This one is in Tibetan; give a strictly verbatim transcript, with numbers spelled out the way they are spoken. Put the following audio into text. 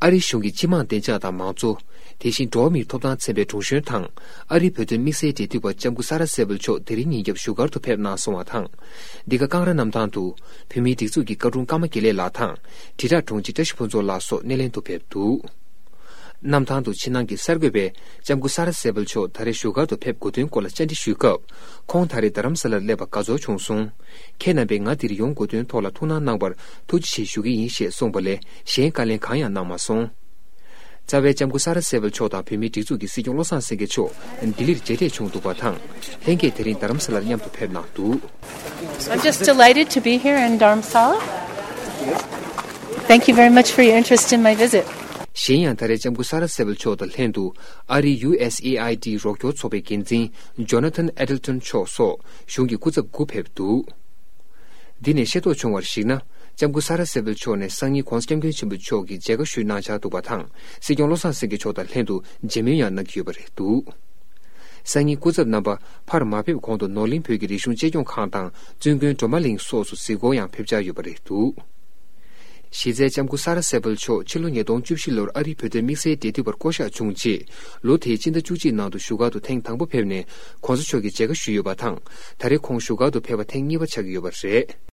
ཨ་རིའི་གཞུང་གི་སྤྱི་དམངས་བདེ་འཇགས་དང་མང་གཙོ། དེ་བཞིན་འགྲོ་བ་མིའི་ཐོབ་ཐང་མཚོན་པའི་དྲུང་གཞོན་དང་། ཨ་རིའི་བོད་དོན་དམིགས་བསལ་འབྲེལ་མཐུད་པ་ལྕམ་སྐུ་ས་ར་སེ་བལ་མཆོག་དེ་རིང་ཉིན་རྒྱབ་བཞུགས་སྒར་དུ་ཕེབས་གནང་སོང་བ་དང་། འདི་ག་ཀང་ར་གནམ་ཐང་དུ། བོད་མིའི་སྒྲིག་འཛུགས་ཀྱི་བཀའ་དྲུང་ཀརྨ་དགེ་ལེགས་ལགས་དང་། དྲིལ་བསྒྲགས་དྲུང་ཆེ་བཀྲ་ཤིས་ཕུན་ཚོགས་ལགས་སོགས་སྣེ་ལེན་དུ་ཕེབས་འདུག་གནམ་ཐང་དུ་ཕྱི་ནང་གི་གསར་འགོད་པས་ལྕམ་སྐུ་ས་ར་སེ་བལ་མཆོག་ད་རེས་བཞུགས་སྒར་དུ་ཕེབས་དགོས་དོན་སྐོར་ལ་བཅར་འདྲི་ཞུས་སྐབས། ཁོང་ད་རེས་རྡ་རམ་ས་ལར་སླེབས་པ་དགའ་ཚོར་བྱུང་སོང་། ཁྱེད་རྣམ་པས་ང་འདིར་ཡོང་དགོས་དོན་ཐོག་ལ་ཐུགས་སྣང་གནང་བར་ཐུགས་རྗེ་ཆེ་ཞུ་གི་ཡིན་ཞེས་གསུངས་པ་ལས་གཞན་བཀའ་ལན་གང་ཡང་གནང་མ་སོང་། རྩ་བའི་ལྕམ་སྐུ་ས་ར་སེ་བལ་མཆོག་དང་བོད་མིའི་སྒྲིག་འཛུགས་ཀྱི་སྲིད་སྐྱོང་བློ་བཟང་སེང་གེ་མཆོག་ལྡི་ལིར་མཇལ་འཕྲད་བྱུང་འདུག་པ་དང་། ལྷན་རྒྱས་དེ་རིང་རྡ་རམ་ས་ལར་མཉམ་དུ་ཕེབས་གནང་འདུག I'm just delighted to be here in Dharamsala. Thank you very much for your interest in my visit. གཞན་ཡང་ད་རེས་ལྕམ་སྐུ་ས་ར་སེ་བལ་མཆོག་དང་ལྷན་དུ་ཨ་རིའི་ཡུ་ཨེས་ཨེ་ཨའི་ཌི་རོགས་སྐྱོར་ཚོགས་པའི་འགན་འཛིན་ཇོ་ན་ཐན་ཨེ་ཌལ་ཊོན་མཆོག་སོགས་གཞུང་གི་སྐུ་ཚབ་དགུ་ཕེབས་འདུག་འདི་ནས་ཤེས་རྟོགས་བྱུང་བར་གཞིགས་ན། ལྕམ་སྐུ་ས་ར་སེ་བལ་མཆོག་ནས་སང་ཉིན་༸གོང་ས་༸སྐྱབས་མགོན་ཆེན་པོ་མཆོག་གིས་མཇལ་ཁ་ཞུས་གནང་འཆར་འདུག་པ་དང་། སྲིད་སྐྱོང་བློ་བཟང་སེང་གེ་མཆོག་དང་ལྷན་དུ་མཇལ་མོལ་ཡང་གནང་གི་ཡོད་པ་རེད་འདུག་སང་ཉིན་སྐུ་ཚབ་རྣམ་པ་ཕར་མ་ཕེབས་གོང་དུ་ནོར་གླིང་བོད་ཀྱི་རིག་གཞུང་གཅེས་སྐྱོང་ཁང་དང་བཙུན་དགོན་སྒྲོལ་མ་གླིང་སོགས་སུ་གཟིགས་སྐོར་ཡང་ཕེབས་འཆར་ཡོད་པ་རེད་འདུག་གཞི་རྩའི་ལྕམ་སྐུ་ས་ར་སེ་བལ་མཆོག་ཕྱི་ལོ་ཉིས་སྟོང་བཅུ་བཞི་ལོར་ཨ་རིའི་བོད་དོན་དམིགས་བསལ་འབྲེལ་མཐུད་པར་བསྐོ་གཞག་བྱུང་རྗེས། ལོ་དེའི་སྤྱི་ཟླ་བཅུ་གཅིག་ནང་དུ་བཞུགས་སྒར་དུ་ཐེངས་དང་པོ་ཕེབས་ནས་༸གོང་ས་མཆོག་གི་མཇལ་ཁ་ཞུས་ཡོད་པ་དང་། ད་རེས་ཁོང་བཞུགས་སྒར་དུ་ཕེབས་པ་ཐེངས་གཉིས་པ་ཆགས་ཀྱི་ཡོད་པ་རེད།